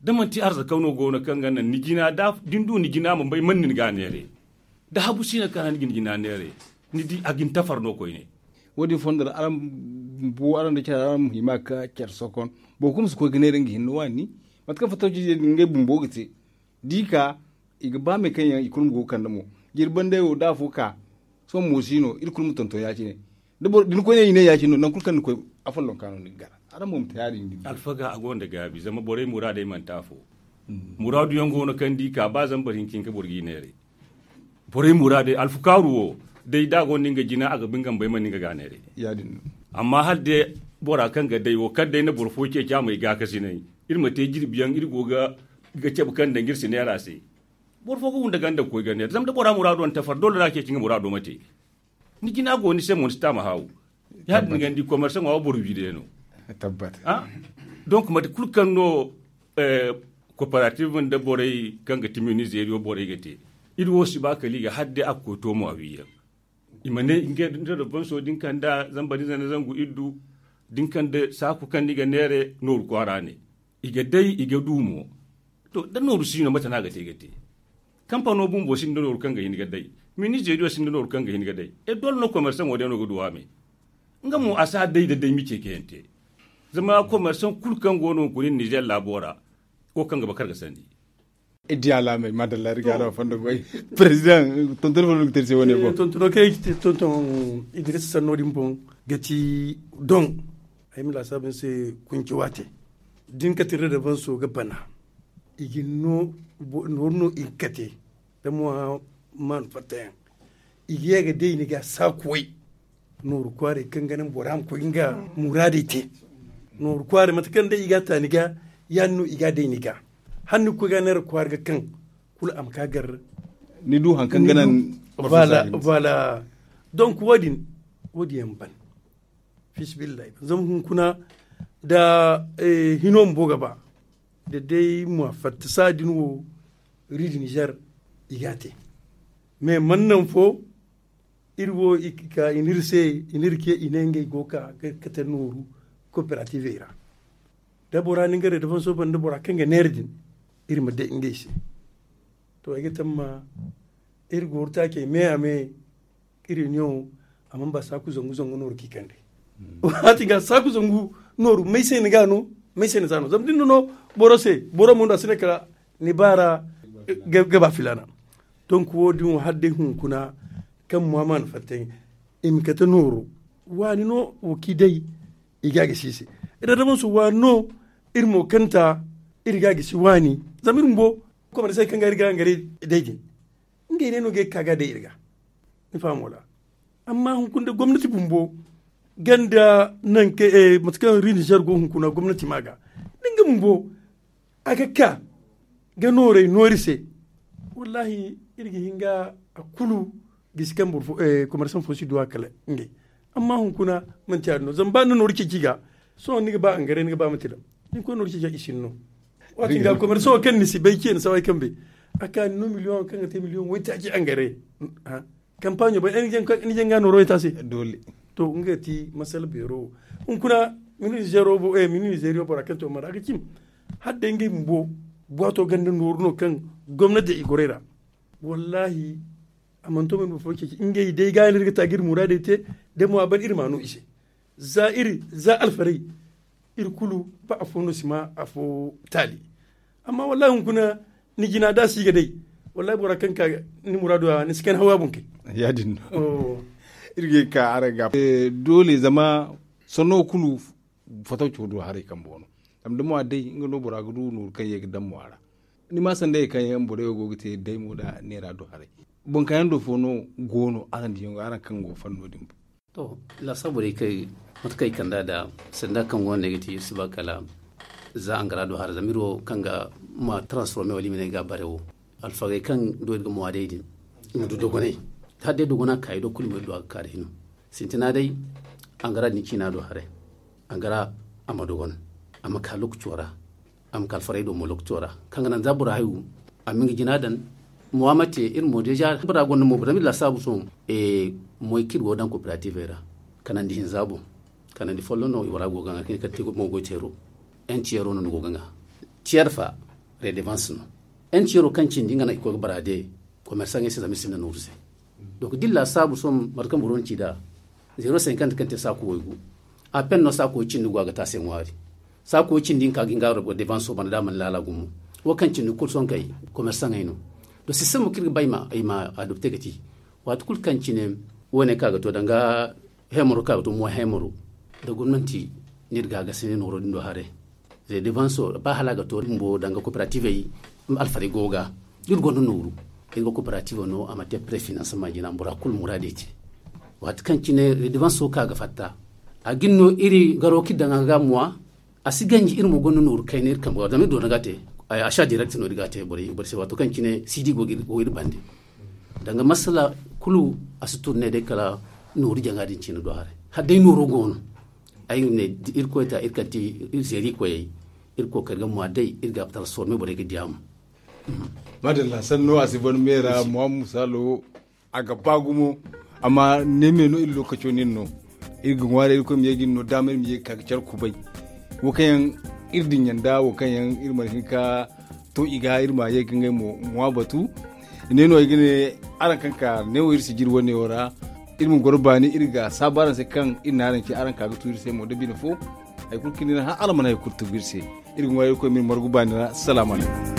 da manti arzaka no go no kaŋ ga naŋ ni jina da ni du ni jina ma bay man nin ga a neeray. Da habu si no kaŋ ra ni ga ni jina neeray. Ni di a ga ni tafar no koyne. Wo- din fondo ra araŋ bumbo araŋ da care araŋ ma hima ga ka care sokon. Boro kulu ma si koy ga neera nga hinne waani. Mate kaŋ fatawciizey din ngey bumbo ga te. Da i ka i ga ba me kaŋ yaŋ i kulu ma go ga kande mo. Jirbi banday wo da afo ka sohõ mo si no iri kulu ma tonton ya- cine. Da ni koy ne i ne ya- cine no nangu kulu kaŋ ni koy. Afollonka no ni ga gana. Araŋ mo ma te ya- din. Alfaga a gonda gaabi zama borey muraadey manti afo. Muraadu yaŋ go no kaŋ da i ka ba zambar hinka hinka boro ga i neeray. Borey muraadey alfukaaru wo day da a gonda nga jina a ga ba nga ma bay man nga ga a neeray. Amma hala day bora kaŋ ga day wo kala day na boro fo ceeci a ma ay gaakasinay. Iri ma te jirbi yaŋ iri go ga cabe kaŋ daŋ iri si neera se. Boro fo ga wunda ganda ga koy ga neera zama da bora muraado na tafar doole no a ceeci nga muraado ma te. Ni jina go ni se mo ni si taama haawu. Ya- din ga ni di komersaŋo wo boro wiidiyaŋ no. Donk mate kulu kaŋ no kooperative nda borey kaŋ ga ti minizeeriyo borey ga te. Iri wo si ba kala i ga hala day a ga koy to mo a wiiyaŋ. I ma ne nga da banso da ni kaŋ da zambar hinza nda zangu iddu da ni kaŋ da saaku kaŋ ni ga neere nooru kwaara ne. I ga day i ga du mo. To da nooru si no mate no a ga te ga te. Kampano bumbo sinda nooru kaŋ ga hin ga day. Minizeeriyo sinda nooru kaŋ ga hin ga day. E doole no komersaŋo day no ga du a me. Nga mo a si a day da day mi ceekayante. Zama komersaŋ kulu kaŋ go no hunkuna iri nizeer laabo ra. Wo kaŋ ga ba kar ga sandi. Iri di alaamey madalla iri ga araŋ fondo goy. Président tonton fondo ga te iri se wane boŋ. Tontono kaŋ ay ga te tonton idrisa sanno din boŋ ga ti doŋ. Ay ma laasaabu ni se kunci waate. Da ni kate redevanso ga bana. I ga ni no nooru no i ga kate da mo maanu fattayaŋ. I ga ye ga day ni ga saakuway. Nooru kwaaray kaŋ ga naŋ bora ma koy nga muraadey te. Nooru kwaaray mate kaŋ day i ga a ta ni ga ya- din no i ga a day ni ga. Hala ni ga koy ga neera kwaara ga kaŋ kulu a ma ka gar. Ni du hari kaŋ ga naŋ voilà. Donk wo- din wo- din yaŋ ban fiisabilillahi zama hunkuna da hino bumbo ga ba da day mo a fatta saha din wo. Ri da nizer i ga a te. Mais mana naŋ fo Iri wo i ka i n'iri se, i n'iri ce, i ne ngey go ga kate nooru kooperativey ra. Da bora na nga redefanso banda bora kaŋ ga neera din, iri ma day ngey se. To ay ga tamma iri gooru taacey me a me. Iri niyaŋo a mana ba saaku zangu zangu nooru kaŋ i kande. Waati ga saaku zangu nooru may se ni ga no, may se ni za no zama da ni na no boro se, boro mo no a si ne kala ni baara ga ba filaana. Donk wo- din wo hala day hunkuna kaŋ mo a mana fatta i ma kate nooru. Waani no wo kaŋ i day i ga a gisi i se. Iri adama su waani no. Iri mo kanta iri ga a gisi waani. Zama iri bumbo komersey kaŋ ga iri ga hangaray day din ngey ne no ga ay ga ka ga day iri ga. Ni faham wala? Amma hunkuna da gomnati bumbo ganda nanka mate kaŋ ri nizer go hunkuna gomnati ma ga da nga bumbo a ga ka ga nooray noori se. Wallaahi iri ga hin ga a kulu gisi kaŋ komersaŋ fo si du a kala ngey. Amma hunkuna manti ya- din no zama ba ni na nooru ceeci ga sohõ ni ga ba angare ni ga ba manti daŋ. Ni koy nooru ceeci ga i si ni no. Waati ga komersaŋo kaŋ ni si bay ce ni saway kaŋ bay a ka ni no miliyoŋo kaŋ ga te miliyoŋ waytaaci angare. Kampaaɲo bay ni jaŋ ga nooro wayta se. To nga ti masala beero hunkuna mini nizeeriyo bora kaŋ ti omar a ga cim hala day ngey bumbo buwaato ganda nooru no kaŋ gomnati i goray ra. Wallaahi a mana to ma ni boro fo ceeci ngey day ga no iri ga ta ga iri muraadey te. Da mo a ban iri ma no i se za iri za alfarey iri kulu ba afo no si ma afo taali. Amma wallaahi hunkuna ni jina da a si ga day wallaahi bora kaŋ ka ni muraadu a ni si kayna haw a boŋ kay. Ya- din no iri ga ka araŋ ga doole zama sanno kulu fataw caw do haray kambe wano. Zama da mo a day nga no bora ga du nooru kaŋ ye ga daŋ mo a ra. Ni ma sanda ye kaŋ yaŋ borey wo go ga te day mo da neera do haray. Boŋ kaŋ yaŋ do fo no go no araŋ diyaŋ go araŋ kaŋ go fanno din. To laasaabu day kay mate kaŋ i kand'a da sanda kaŋ go no ne ga ti iri si ba kala za angara do haray zama iri wo kaŋ ga ma transforme wala i ma ne ga a bare wo alfagey kaŋ do iri ga mo a day din i ma du dogonay. Hala day dogona ka i do kulu mo iri du a ga ka day no. Sintina day angara din ciina do haray. Angara a ma dogon a ma ka lokaco ra. A ma ka alfarey do mo lokaco ra kaŋ ga naŋ za bora hayu a ma nga jina daŋ. Mo a ma te iri mo deeza bora gonda mo bora ma iri laasaabu sohõ. Moy kaŋ iri go ga daŋ kooperativey ra kanandi hinza boŋ. Kanandi folloŋ no i wara go ga ŋwa kaŋ i ga ti mo goy teero. N tiyeero no ni go ga ŋwa. Tiyer fa redevans no. N tiyeero kaŋ cindi nga no i koy ga bara de komersaŋey se zama i sinda nooru se. Donk da iri laasaabu sohõ mate kaŋ boro na ci nd'a zeero sinkant kaŋ te saako waygu. A pen no saako cindi go a ga te a se ŋwaari. Saako cindi hinka ga hin ga a devanso banda da a mana laala gumo. Wo kaŋ cindi kulu sohõ kay komersaŋey no. Donk sistemo kaŋ iri ga ba i ma adopte ga ti waati kulu kaŋ cine wo- ne kaŋ a ga to danga hemoro kaŋ a ga to mo hemoro. Da gomnanti no iri ga a gasa ne nooro din do haray. Zey devanso ba hala a ga to bumbo danga kooperativey alfarey go ga da iri gonda nooru iri ga kooperativo no a ma te prefinansama jina bora kulu muraadey te. Waati kaŋ cine zey devanso kaŋ a ga fatta a ga ni no iri garo kaŋ iri daŋ a ga muwa. A si ganji iri mo gonda nooru kayna iri kambe ga zama iri doona ga a te. Achat direct no iri ga a te borey se waato kaŋ cine sidi go ga iri bande. Danga masala kulu a si turne day kala nooru jaŋa din cine do haray hala day nooro go no. Ay ne da irkoy ta iri kaŋ ti iri zeeri koyey iri kookari ga mwa day iri ga transforme borey ga diya mo. Madalla sanno a si ban meera muhammad musalo. A ga ba gumo amma ne me no iri lokaco nin no. Iri ga ŋwaari irkoy ma ye ga iri no daama iri ma ye ga ka ga care kubay. Wo kaŋ yaŋ iri dinya nda wo kaŋ yaŋ iri mana hin ka to i ga iri ma ye ga ngey mo ŋwa batu. Ne no ay ga ne araŋ kaŋ ka ne wo iri si jiri wane wo ra. Iri ma goro baani iri ga saabu araŋ se kaŋ iri na araŋ ce araŋ ka ga tu iri se mo da bine fo. Hari kulu kaŋ iri na hã araŋ mana hari kulu tugu iri se. Iri ga ŋwa irkoy ma iri margu baani ra salaamu alaykum.